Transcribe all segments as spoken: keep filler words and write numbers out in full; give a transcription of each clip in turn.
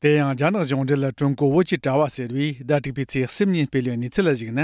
དེ་ཡང་རྒྱ་ནག་གཞུང་འབྲེལ་ཀྲུང་གོ་བོད་ཀྱི་དྲ་བ་ཟེར་བས་ཟླ་དྲུག་པའི་ཚེས་གསུམ་ཉིན་སྤེལ་བའི་གནས་ཚུལ་ལ་གཞིགས་ན།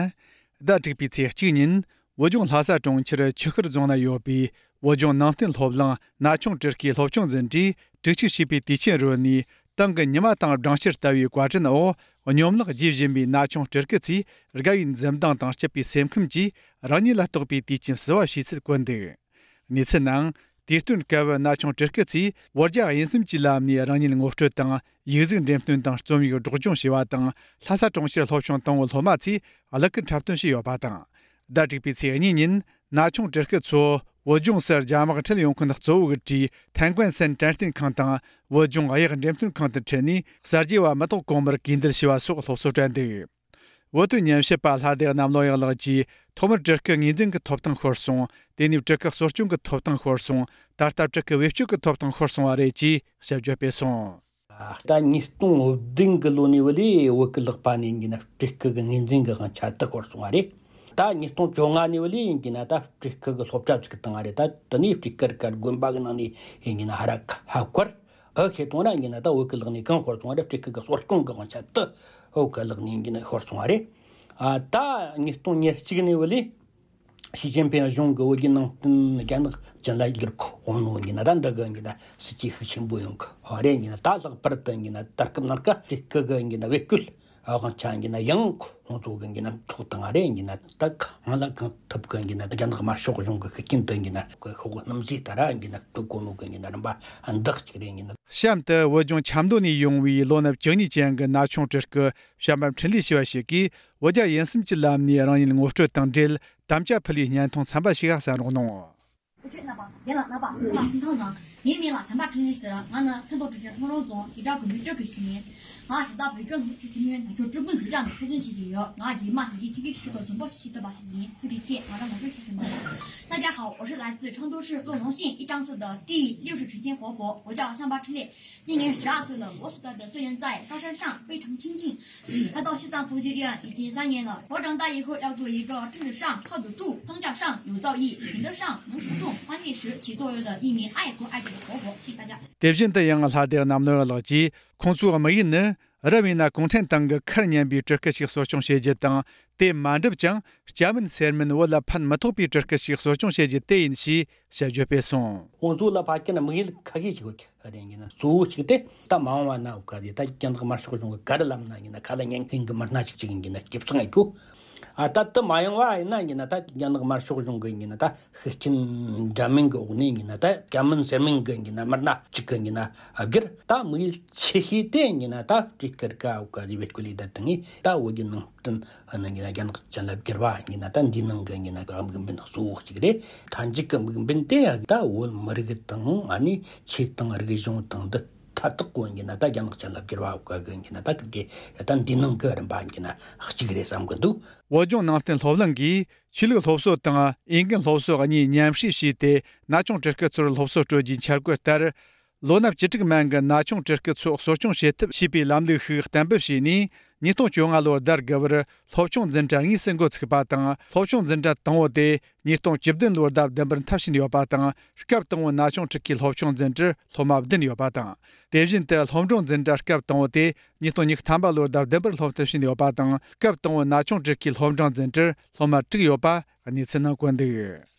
ཟླ་དྲུག་པའི་ཚེས་གཅིག་ཉིན་བོད་ལྗོངས་ལྷ་ས་གྲོང་ཁྱེར་ཆུ་ཤུར་རྫོང་ན་ཡོད་པའི་བོད་ལྗོངས་ནང་བསྟན་སློབ་གླིང་ན་ཆུང་སྤྲུལ་སྐུའི་སློབ་ཆུང་འཛིན་གྲྭས་དྲུག་གཅིག་བྱིས་པའི་དུས་ཆེན་རོལ་ནས། ཏང་གི་ཉི་མ་དང་སྦྲང་ཆར་ལྟ་བུའི་བཀའ་དྲིན་འོག་སྙོམས་ལག་རྒྱས་བཞིན་པའི་ན་ཆུང་སྤྲུལ་སྐུ་ཚོས་དགའ་བའི་འཛུམ་མདངས་དང་སྐྱིད་པའི་སེམས་ཁམས་ཀྱིས་རང་ཉིད་ལ་གཏོགས་པའི་དུས་ཆེན་བསུ་བ་ཞུས་ཚུལ་བཀོད་འདུག། གནས་ཚུལ་ནང་། དུས་སྟོན་སྐབས་ན་ཆུང་སྤྲུལ་སྐུ་ཚོས་བོད་རྒྱ་དབྱིན་གསུམ་གྱི་ལམ་ནས་རང་ཉིད་ངོ་སྤྲོད་དང་ཡིག་གཟུགས་འགྲེམས་སྟོན་དང་རྩོམ་ཡིག་སྒྲོག་སྦྱོང་བྱས་པ་དང་། ལྷ་ས་གྲོང་ཁྱེར་སློབ་ཆུང་དང་པོའི་སློབ་མ་ཚོས་གླུ་གར་འཁྲབ་སྟོན་བྱས་ཡོད་པ་དང་། ཟླ་དྲུག་པའི་ཚེས་གཉིས་ཉིན་ན་ཆུང་སྤྲུལ་སྐུ་ཚོ་བོད་ལྗོངས་སུ་རྒྱ་དམག་ཁྲིད་ཡོང་མཁན་གཙོ་བོ་གི་གྲས་ཐན་ཀོན་སན་དྲན་རྟེན་ཁང་དང་བོད་ལྗོངས་གཡག་འགྲེམས་སྟོན་ཁང་དུ་ཁྲིད་ནས་གསར་བརྗེ་བ་མི་ཐོག་གོང་མར་གུས་འདུད་ཞུ་བ་སོགས་སློབ་གསོ་སྤྲད་འདུག། བོད་དོན་ཉམས་ཞིབ་པ་ལྷ་སྡེ་གནམ་ལོ་ཡག་ལགས་ཀྱིས། ཐོག་མར་སྤྲུལ་སྐུ་ངོས་འཛིན་གྱི་ཐོབ་ཐང་ཤོར་སོང་། དེ་ནས་སྤྲུལ་སྐུ་གསོ་སྐྱོང་གི་ཐོབ་ཐང་ཤོར་སོང་། ད་ལྟ་སྤྲུལ་སྐུ་བེད་སྤྱོད་ཀྱི་ཐོབ་ཐང་ཤོར་སོང་བ་རེད་ཅེས་དཔྱད་བརྗོད་སྤེལ་སོང་། ད་ཉིས་སྟོང་བདུན་གི་ལོ་ནས་བུ་ལས་བོད་ཀྱི་ལག་པ་ནས་ཡིན་གྱི་ན་སྤྲུལ་སྐུ་གི་ངོས་འཛིན་གྱི་དབང་ཆ་དེ་ཤོར་སོང་བ་རེད། ད་ཉིས་སྟོང་བཅོ་ལྔ་ནས་བུ་ལས་ཡིན་གྱི་ན་ད་སྤྲུལ་སྐུ་གི་སློབ་གྲྭ་བཙུགས་བཏང་བ་རེད། ད་དེ་ནས་སྤྲུལ་སྐུ་གི་དགོན་པ་གི་ནང་ནས་ཡིན་གྱི་ན་ཧ་ར་ཧ་བཀར། ཨ་ཁེ་གཏོང་ར་ཡིན་ན་ད་བོད་ཀྱི་ལག་ནས་གང་ཤོར་སོང་བ་རེད། སྤྲུལ་སྐུ་གི་གསོ་སྐྱོང་གི་དབང་ཆ་དེ་བོད་ཀྱི་ལག་ནས་ཡིན་ན་ཤོར་སོང་བ་རེད། ཨ་ད་ཉིས་སྟོང་ཉེར་གཅིག་ནས་བུ་ལས་ཞི་ཅིན་ཕིང་གཞུང་གི་བོད་ཀྱི་ནང་བསྟན་རྒྱ་ནག་ཅན་ལ་བསྒྱུར་གོ་འོང་ནོ་ཡིན་ན་ད་འདི་གི་ཡིན་ན་སྲིད་ཇུས་ཤུགས་ཆེན་པོ་ཡོང་གི་བ་རེད། ཡིན་ན་ད་ལྷག་པར་དུ་ཡིན་ན་ད་སྐབས་ནང་ཀ་སྤྲུལ་སྐུ་གི་ཡིན་ན་བེད་སྤྱོད་དབང་ཆ་ཡིན་ན་ཡང་ཁོང་ཚོ་གི་ཡིན་ན་འཕྲོག་བཏང་བ་རེད། ཡིན་ན་ད་གང་ལ་གང་ཐུབ་གི་ཡིན་ན་རྒྱ་ནག་དམར་ཤོག་གཞུང་གི་ཤུགས་རྐྱེན་དུ་ཡིན་ན་གི་ཤོག་སྣུམ་ཟས་ལྟར་ཡིན་ན་སྤྲོད་གོ་ནོ་གི་ཡིན་ན་རིམ་པ་འདི་གཅིག་རེད། ཡིན་ན། གཤམ་དུ་བོད་ལྗོངས་ཆབ་མདོ་ནས་ཡོང་བའི་ལོ་ན་བཅུ་གཉིས་ཅན་གྱི་ན་ཆུང་སྤྲུལ་སྐུ་བྱམས་པ་འཕྲིན་ལས་ཞེས་པ་ཞིག་གིས་བོད་རྒྱ་དབྱིན་གསུམ་གྱི་ལམ་ནས་རང་ཉིད་ངོ་སྤྲོད་དང་འབྲེལ་དམ་བཅའ་ཕུལ་བའི་བརྙན་ཐུང་ཚན་པ་ཞིག་གསན་རོགས་གནང་། འུ་ཆོས་རྣམ་པ་རྒན་ལགས། རྣམ་པ་ཚང་མ་ཐུགས་ཐང་བཟང་། ངའི་མིང་ལ་བྱམས་པ་འཕྲིན་ལས་ཟེར། ང་ནི་ཁ་མདོ་གྲོང་ཁྱེར་ཐང་རོང་རྫོང་གི་བྲག་དགུན་འབྲུ་གི་ཞིག་ཡིན། ང་ད་ལྟ་བོད་སྐྱོར་སློབ་ཕྲུག་འཐུས་མིའི་ནང་ཁུལ་སྤྲུལ་སྐུ་འཛིན་གྲྭ་ནང་ཕན་ཚུན་བྱེད་ཀྱི་ཡོད། ང་རྗེས་མ་ཡི་གེ་ཁྱི་གེ་ཁྱི་གོ་བཟང་པོ་ཞིག་བྱེད་ཐུབ་པ་ཞིག་ཡིན། ཐུགས་རྗེ་ཆེ། ང་རང་ངོ་སྤྲོད་ཞིག་ཟིན་པ་རེད། 大家好，我是来自成都市乐隆县一樟寺的第六世持间活佛，我叫香巴赤烈。今年十二岁了。我所在的寺院在高山上，非常清静。来到西藏佛学院已经三年了。我长大以后要做一个政治上靠得住、宗教上有造诣、品德上能服众、关键时起作用的一名爱国爱民的活佛。谢谢大家。དེ་བཞིན་དུ་ཡང་ལྷ་སྡེ་གནམ་ལོ་ཡག་ལགས་ཀྱིས། ཁོང་ཚོའི་དམིགས་ཡུལ་ནི། རབ་ཡིན་ན་གུང་ཁྲན་ཏང་གི་ཁར་ཉན་པའི་སྤྲུལ་སྐུ་ཞིག་གསོ་སྐྱོང་བྱེད་རྒྱུ་དང་། དེ་མ་འགྲུབ་ཀྱང་སྐྱ་མིན་སེར་མིན་བོད་ལ་ཕན་མི་ཐོགས་པའི་སྤྲུལ་སྐུ་ཞིག་གསོ་སྐྱོང་བྱེད་རྒྱུ་དེ་ཡིན་ཞེས་དཔྱད་བརྗོད་སྤེལ་སོང་། ཁོང་ཚོ་ལ་ཕ་ཁྱེད་ན་དམིགས་ཡུལ་ཁ་ཤས་ཤིག་ཡོད་རེད། ཡིན་ན་གཙོ་བོ་གཅིག་དེ་ད་མ་འོངས་པ་ན་འོ་ག་དེ་ད་རྒྱ་ནག་དམར་ཤོག་གཞུང་གི་ག་རེ་ལབ་ན་ཡིན་ན་ཁ་ལ་ཉན་མཁན་གྱི་མི་སྣ་ཞིག་ཅིག་ཡིན་གྱི་ན་སྐྱིད་སང་ཨེ་ཁྱོ། ཨ་ད་དེ་མ་ཡོང་བ་ཡིན་ན་ཡིན་ན་ད་རྒྱ་ནག་དམར་ཤོག་གཞུང་གི་ཡིན་ན་ད། ཤུགས་རྐྱེན་འདྲ་མིན་གྱི་འོག་ནས་ཡིན་ན་ད་སྐྱ་མིན་སེར་མིན་གྱི་ཡིན་ན་མི་སྣ་གཅིག་གི་ཡིན་ན་བསྒྱུར། ད་དམིགས་ཡུལ་ཆེ་ཤོས་དེ་ཡིན་ན་ད་སྤྲུལ་སྐུ་ག་འོ་ག་རི་བེད་སྐུ་ལི་ད་དང་ད་བོད་ཀྱི་ནང་བསྟན་ཨ་ནི་ཡིན་ན་རྒྱ་ནག་ཅན་ལ་བསྒྱུར་བ་ཡིན་ན་ད་འདིའི་ནང་གི་ཡིན་ན་དམིགས་འབེན་གཙོ་བོ་གཅིག་རེད། མཐའ་མཇུག་གི་དམིགས་འབེན་དེ་ད་བོད་མི་རིགས་དང་ཨ་ནི་ཆོས་དང་རིག་གཞུང་དང་འདི་མཐའ་དག་གོ་ཡིན་ན་ད་རྒྱ་ནག་ཅན་ལ་བསྒྱུར་བ་འོ་ག་གི་ཡིན་ན་ད་གི་ད་འདིའི་ནང་གི་རིམ་པ་ཡིན་ན་གཅིག་རེད་བསམ་གི་འདུག། བོད་ལྗོངས་ནང་བསྟན་སློབ་གླིང་གིས་ཆོས་ལུགས་སློབ་གསོ་དང་འོས་འགན་སློབ་གསོ་གཉིས་མཉམ་བསྲེས་བྱས་ཏེ་ན་ཆུང་སྤྲུལ་སྐུ་ཚོར་སློབ་གསོ་སྤྲོད་རྒྱུའི་འཆར་འགོད་ལྟར། ལོ་ན་བཅུ་དྲུག་མན་གྱི་ན་ཆུང་སྤྲུལ་སྐུ་ཚོ་གསོ་སྐྱོང་བྱེད་ཐབས་ཞེས་པའི་ལམ་ལུགས་ཤིག་གཏན་འབེབས་བྱས་ནས། ཉིས་སྟོང་བཅོ་ལྔ་ལོར་ཟླ་དགུ་པར་སློབ་ཆུང་འཛིན་གྲྭ་དངོས་སུ་འགོ་ཚུགས་པ་དང་། སློབ་ཆུང་འཛིན་གྲྭ་དང་པོ་དེ་ཉིས་སྟོང་བཅུ་བདུན་ལོར་ཟླ་བདུན་པར་མཐར་ཕྱིན་ཡོད་པ་དང་། སྐབས་དང་པོའི་ན་ཆུང་སྤྲུལ་སྐུའི་སློབ་ཆུང་འཛིན་གྲྭར་སློབ་མ་བདུན་ཡོད་པ་དང་། དེ་བཞིན་དུ་སློབ་འབྲིང་འཛིན་གྲྭ་སྐབས་དང་པོ་དེ་ཉིས་སྟོང་ཉི་ཤུ་ཐམ་པ་ལོར་ཟླ་བདུན་པར་སློབ་མཐར་ཕྱིན་ཡོད་པ་དང་། སྐབས་དང་པོའི་ན་ཆུང་སྤྲུལ་སྐུའི་སློབ་འབྲིང་འཛིན་གྲྭར་སློབ་མ་དྲུག་ཡོད་པ་གནས་ཚུལ་ནང་བཀོད་འདུག།